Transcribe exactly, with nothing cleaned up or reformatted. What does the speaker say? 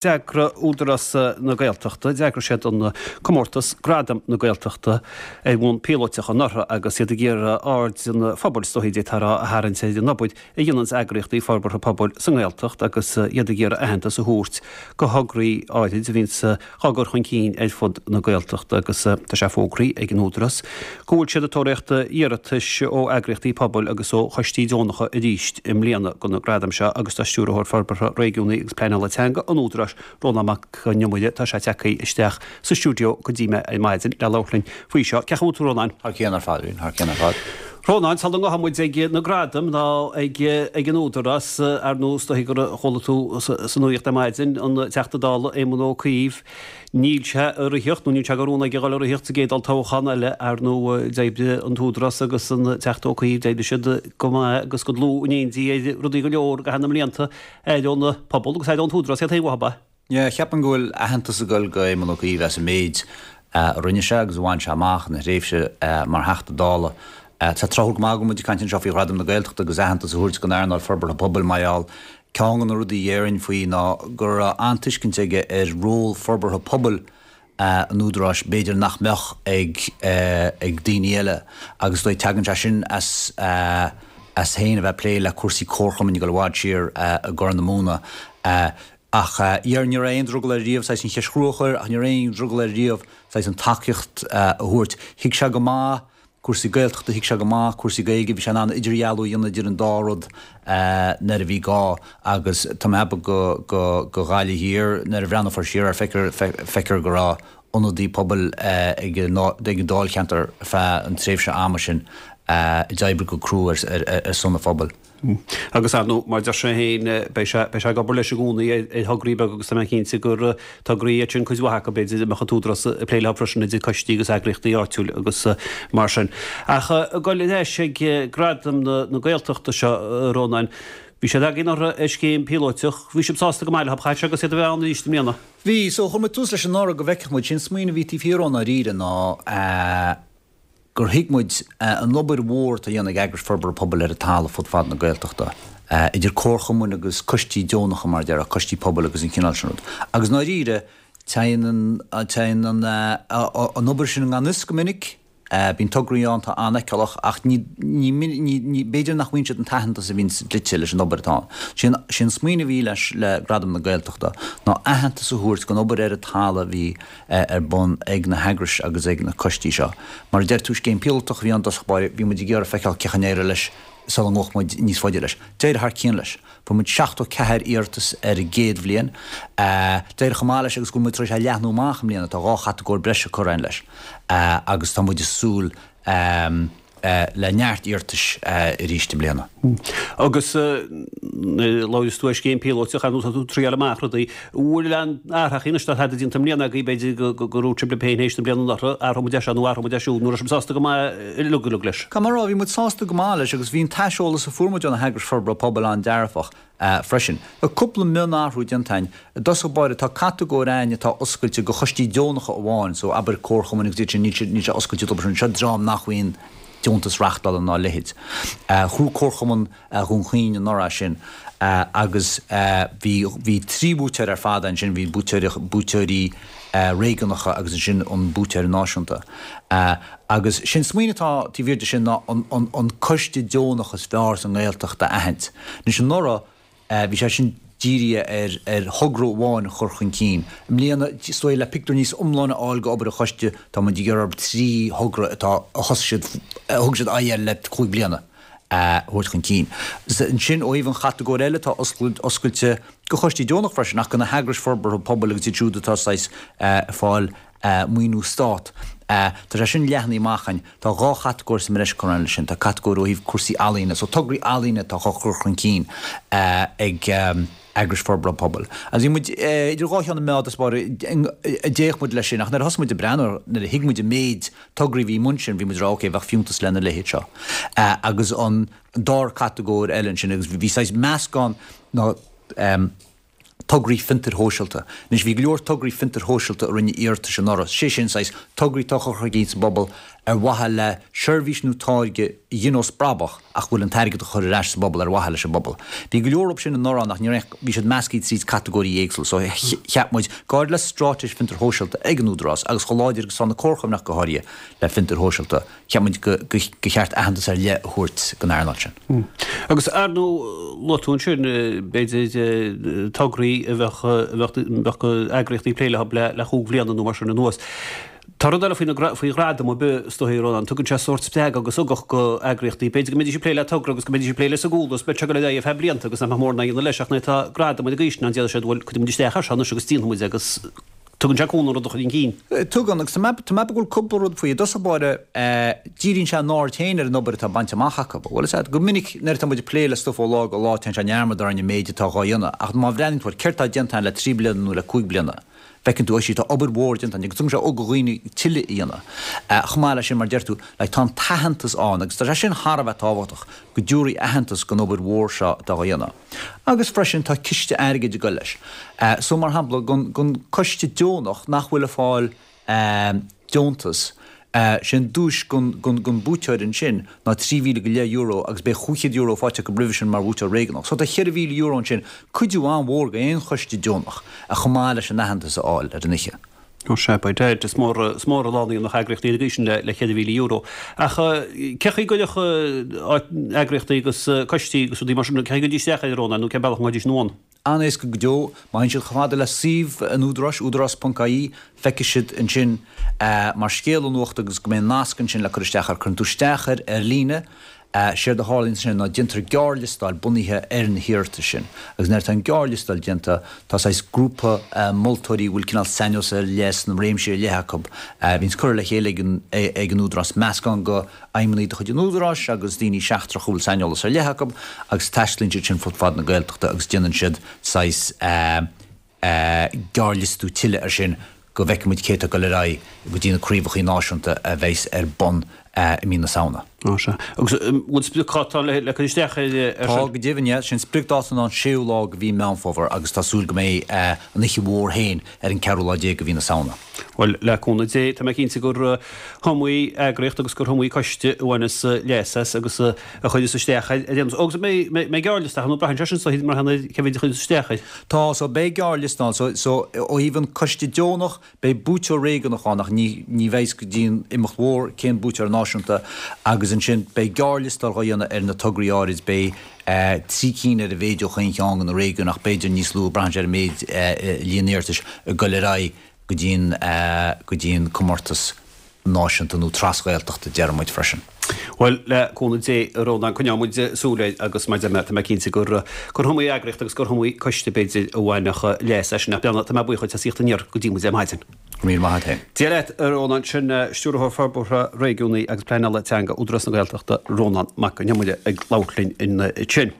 D'eagraigh Údarás na Gaeltachta, d'eagraigh siad an comórtas Gradaim na Gaeltachta ar bhonn píolótach anuraidh agus iad ag iarraidh aird an phobail, is dóichí, d'fhéadfá a rá, a tharraingt ar an obair a dhéananns eagraíochtaí forbartha pobail sa nGaeltacht agus iad ag iarraidh aitheantas a thabhairt do thograí áirid a bhíonns á gcur chun cinn ar fud na Gaeltachta agus tá sé fógraithe ag an Údarás go bhfuil siad ag tóraíocht iarratais ó eagraíochtaí pobail agus ó choistí deonacha arís i mbliana do na gradaim seo agus tá Stiúrthóir Forbartha Réigiúnaí agus Pleanála Teanga an Údaráis, Rónán Mac Con Iomaire, tá sé tagtha isteach sa stiúideo go dtí mé ar maidin le labhairt linn faoi seo. Cén chaoi a bhfuil tú, a Rónáin? Thar cionn ar fad, thar cionn ar fad. Rónán, sula ngabhfaidh muid ag na gradaim ná ag ag an Údarás, ar ndóigh, is dóichí gur chuala tú sa nuaíocht ar maidin, an Teachta Dála Éamon Ó Cuív, níl sé ag ritheacht, nó níl sé de rún aige a dhul ag ritheacht sa gcéad olltoghchán eile, ar ndóigh, d'oibrigh an tÚdarás agus an Teachta Ó Cuív, d'oibrigh siad go maith agus go dlúth in éindí ar rudaí go leor i gcaitheamh na mblianta, aire ón pobal agus aire ón tÚdarás iad féin uathu, ab ea? Yeah, cheapfainn go bhfuil aitheantas ag dul go Éamon Ó Cuív as an méid a rinne sé agus a bhain sé amach ina thréimhse mar Theachta Dála. Tá tráthúil go maith go bhfuil muid ag caint anseo faoi Ghradaim na Gaeltachta agus aitheantas a thabhairt don earnáil forbartha pobail mar gheall ceann de na rudaí a déarfainn faoi ná go raibh an-tuiscint aige ar ról forbartha pobail an Údaráis b'fhéidir nach mbeadh ag ag daoine eile agus dóigh tagann sé sin as as féin a bheith ag plé le cúrsaí comharchumainn ag dul i bhfad siar i gCorr na Móna. Ach ní raibh aon drogall air riamh saghas an cheist chrua a chur ach ní raibh aon drogall air riamh saghas an tacaíocht a thabhairt. Thuig sé go maith cúrsaí Gaeltachta, thuig sé go maith cúrsaí Gaeilge, bhí sé in ann idirdhealú a dhéanamh idir an dá rud nuair a bhí gá agus tá mé ag ceapadh go go go Ghaillimh Thiar nuair a bhreathnófar siar air feicfear feicfear go raibh ionadaí pobail ag an ag an dáilcheantar feadh an tréimhse ama sin a d'oibrigh go crua ar ar ar son an phobail. Agus ar ndóigh, mar deir sé féin, beidh sé, beidh sé ag obair leis i gcónaí ar, ar thograí beaga agus tá mé cinnte gur tograí iad sin cuid mhaith acu, b'fhéidir, a mbeadh an tÚdarás ag plé leo freisin idir coistí agus eagraíochtaí áitiúil agus mar sin. Ach ag dul ar ais ag Gradaim na, na Gaeltachta seo, a Rónáin, bhí siad agaibh anuraidh ar scéim píolóiteach, bhí sibh sásta go maith leo, chaithfeadh sé agus iad a bheith ann arís i mbliana. Bhí, so chuir muid tús leis anuraidh go bhfeicfeadh muid, sé'n smaoineamh a bhí taobh thiar dhó i ndáiríre ná, gur thuig muid an obair mhór atá á dhéanamh ag eagrais forbartha pobail ar an talamh fud fad na Gaeltachta, idir comharchumainn agus coistí deonacha, mar a déarfá, coistí pobail agus an cineál sin rud. Agus i ndáiríre, téann an, téann an, an obair sin i ngan fhios go minic, bíonn tograí ann atá an-fheiceálach ach ní, ní, ní, ní, b'fhéidir nach bhfaigheann siad an t-aitheantas a bhíonn dlite leis an obair atá ann. Sé an, sé an smaoineamh a bhí leis, le Gradaim na Gaeltachta ná aitheantas a thabhairt don obair ar an talamh a bhí ar bun ag na heagrais agus ag na coistí seo. Mar a deir tú, scéim píolótach a bhí ann i dtosach báire, bhí muid ag iarraidh feiceáil cén chaoi a n-éireodh leis sula ngabhfadh muid níos faide leis. D'éirigh thar cionn leis. Fuair muid seachtó ceathair iarratas ar an gcéad bhliain. D'éirigh chomh maith leis agus go bhfuil muid tar éis é a leathnú amach i mbliana, tá dhá chatagóir breise curtha againn leis agus tá muid ag súil le neart iarratais arís i mbliana. Agus nuair a labhraíos tú ar scéim píolóiteach, ar ndóigh tá tú ag triáil amach rudaí. An bhfuil aon athrachaí anois tá tada déanta i mbliana agaibh, b'fhéidir go ndúirt sibh libh féin théis na bliana anuraidh, athróidh muid é seo nó athróidh muid é siúd, nó raibh sibh sásta go maith uilig uilig leis? Caithfidh mé a rá, bhí muid sásta go maith leis agus bhí an t-aiseolas a fuair muid ó na heagrais forbartha pobail an-dearfach. freisin. Tá cúpla mionathrú déanta againn. I dtosach báire, tá catagóir againn atá oscailte do choistí deonacha amháin, so abair comharchumainn agus iad sin, níl sé, níl sé oscailte dóibh sin. Seo dream nach bhfaigheann deontas reachtála ná a leithéid. Ghnóthaigh Comharchumann Dhún Chaoin anuraidh é sin agus bhí, bhí trí bhuaiteoir ar fad ansin, bhí buaiteoir, buaiteoirí réigiúnacha agus ansin an buaiteoir náisiúnta. Agus sé'n smaoineamh atá taobh thiar de sin ná an, an, an coiste deonach is fearr sa nGaeltacht a aithint. Anois anuraidh bhí sé sin dírithe ar, ar thogra amháin a chur chun cinn. I mbliana, is dóigh, le pictiúr níos iomláine a fháil d'obair an choiste, tá muid ag iarraidh trí thogra atá, a thosaigh siad, a thug siad aghaidh air le cúig bliana a thabhairt chun cinn. Ansin, ó thaobh an chatagóir eile atá oscailte do choistí deonach freisin, ach do na heagrais forbartha pobail agus iad siúd atá saghas ag fáil maoiniú stát, tá sé sin leathnaithe amach againn. Tá dhá chatagóir sa mbreis curtha leis sin. Tá catagóir ó thaobh cúrsaí ealaíne, so tograí ealaíne atá á chur chun cinn ag eagrais forbartha pobail. Agus bhí muid idir dhá cheann na meá i dtosach báire a d'fhéach muid leis sin, ach nuair a thosaigh muid ag breathnú, nuair a thuig muid an méid tograí a bhí i mbun sin, bhí muid ag rá, ok, bheadh fiúntas lena leithéid seo. Agus an dara catagóir eile ansin, agus bhí saghas meascán ná tograí fiontair shóisialta. Anois, bhí go leor tograí fiontair shóisialta a rinne iarratais anuraidh, sé sin saghas tograí atá á chur chun cinn sa bpobal ar mhaithe le seirbhís nó táirge a ghineos brabach ach go bhfuil an t-airgead á chur ar ais sa bpobal ar mhaithe leis an bpobal. Bhí go leor sin anuraidh ann ach ní raibh, bhí siad measctha tríd catagóirí éagsúla so cheap muid, go háirid le straitéis fiontair shóisialta ag an Údarás agus chomh láidir agus atá na comharchumainn ach go háirithe le fiontair shóisialta, cheap muid go cheart aitheantas ar leith a thabhairt don earnáil sin. Agus ar ndóigh, luaigh tú ansin, b'fhéidir, tograí a bheadh, a bheadh eagraíochtaí ag plé leo le cúig bhliana nó mar sin anuas. Tá rud eile faoi ghradam ar bith, is dóigh, a Rónáin, tugann sé sórt spreagadh agus ugach go eagraíochtaí. B'fhéidir go mbeidís ag plé le togra agus go mbeidís ag plé leis sa gcúl agus beidh sé ag dul ar aghaidh ar feadh blianta agus nach mbeadh mórán á dhéanamh leis ach nuair atá gradam ar an gcaoi sin ann déarfaidh siad bhuel cuirfidh muid isteach air seo anois agus déanfaidh muid agus tugann sé cúnamh an rud a chur chun cinn. Tugann, agus tá mé ag ceapadh go bhfuil cúpla rud faoi. I dtosach báire, díríonn sé a n-aird féin ar an obair atá bainte amach acu. Bhfuil a fhios agat, go minic nuair atá muid ag plé le stuif ó lá go lá téann sé i ndearmad orainn an méid atá dhá dhéanamh ach má bhreathnaíonn tú ar céard atá déanta againn le trí bliana nó le cúig bliana, Feiceann tú, sea, tá obair mhór déanta agus tugann sé ugach do dhaoine tuilleadh a dhéanamh. Chomh maith leis sin, mar a deir tú, like, tá an t-aitheantas ann agus tá sé sin thar a bheith tábhachtach, go dtabharfaí aitheantas don obair mhór seo atá á dhéanamh. Agus freisin tá ciste airgid ag dul leis. So, mar shampla, don, don coiste deonach nach bhfuil ag fáil deontas, Sé an duais don buaiteoir ansin ná trí mhíle go leith euro agus beidh chúig chéad euro faighte acu roimhe sin mar bhuaiteoir réigiúnach. So tá cheithre mhíle euro ansin, cuidiú an-mhór go aon choiste deonach, chomh maith leis an aitheantas a fháil ar an oíche. Ó sea, by dad, is mór is mór a lánaíonn na heagraíochtaí ar an gcaoi sin le le cheithre mhíle euro. Ach cé chaoi a gcuirfeadh eagraíochtaí agus coistí agus rudaí mar sin, cé chaoi a gcuirfidís isteach air, a Rónáin, nó cén bealach a ngabhfaidís anonn? An-éasca go deo. Má théann siad chomh fada le suíomh an Údaráis, údarás ponc ie, feicfidh siad ansin mar scéala nuachta agus go mbeidh nasc ansin le cur isteach air. Cuireann tú isteach air ar líne. Séard a tharlaíonn ansin ná déantar gearrliostáil bunaithe ar na hiarratais sin. Agus nuair atá an gearrliostáil déanta, tá saghas grúpa moltóirí a bhfuil cineál saineolas ar leith sna réimsí ar leith acu, a bhíonns curtha le chéile ag an Údarás, meascán de fheidhmeannaigh de chuid an Údaráis agus daoine seachtracha a bhfuil saineolas ar leith acu agus taistealaíonn siad sin fud fad na Gaeltachta agus déanann siad saghas gearrliostú tuilleadh air sin go bhfeicfidh muid cé atá ag dul ar aghaidh go dtí na craobhacha náisiúnta a bheas ar bun i mí na Samhna. Ó sea. Agus an bhfuil spriocdháta ann le cur isteach air sin? Tá, go deimhin, yeah. Sé'n spriocdháta ná an séú lá de mhí Meán Fómhair agus tá súil go mbeidh an oíche mhór féin ar an ceathrú lá déag de mhí na Samhna. Bhuel, le cúnamh Dé, tá mé cinnte gur iomaí eagraíocht agus gur iomaí coiste a bhaineas leas as agus a chuireas isteach air ar aon nós. Agus an mbeidh gearrliosta ann nó braitheann sé sin so mar théann cé mhéid a chuireas isteach air. Tá, so beidh gearrliosta ann. So, so ó thaobh an coiste deonach, beidh buaiteoir réigiúnach ann ach ní, ní bheidh go dtí an imeacht mhór cén buaiteoir náisiúnta agus ansin beidh gearrliostáil dhá dhéanamh ar na tograí áirid, beidh trí cinn ar a mhéid ó chaon cheann de na réigiúin ach b'fhéidir níos lú, braitheann sé ar an méid, líon iarratais ag dul ar aghaidh. go dtí an go dtí an comórtas náisiúnta nó tras-Ghaeltachta déarfaidh muid freisin. Bhuel, le cúnamh Dé, a Rónáin, coinneoidh muid súil air agus mar a deir mé, tá mé cinnte gur gur iomaí eagraíocht agus gur iomaí coiste b'fhéidir a bhainfeadh leas as sin. Ach Breandán, tá mé buíoch duit as a thíocht aniar go dtí muid ar maidin. Go raibh míle maith agat féin. Dia leat, a Rónáin. Sin Stiúrthóir Forbartha Réigiúnaí agus Pleanála Teanga Údarás na Gaeltachta, Rónán Mac Con Iomaire ag labhairt linn ansin.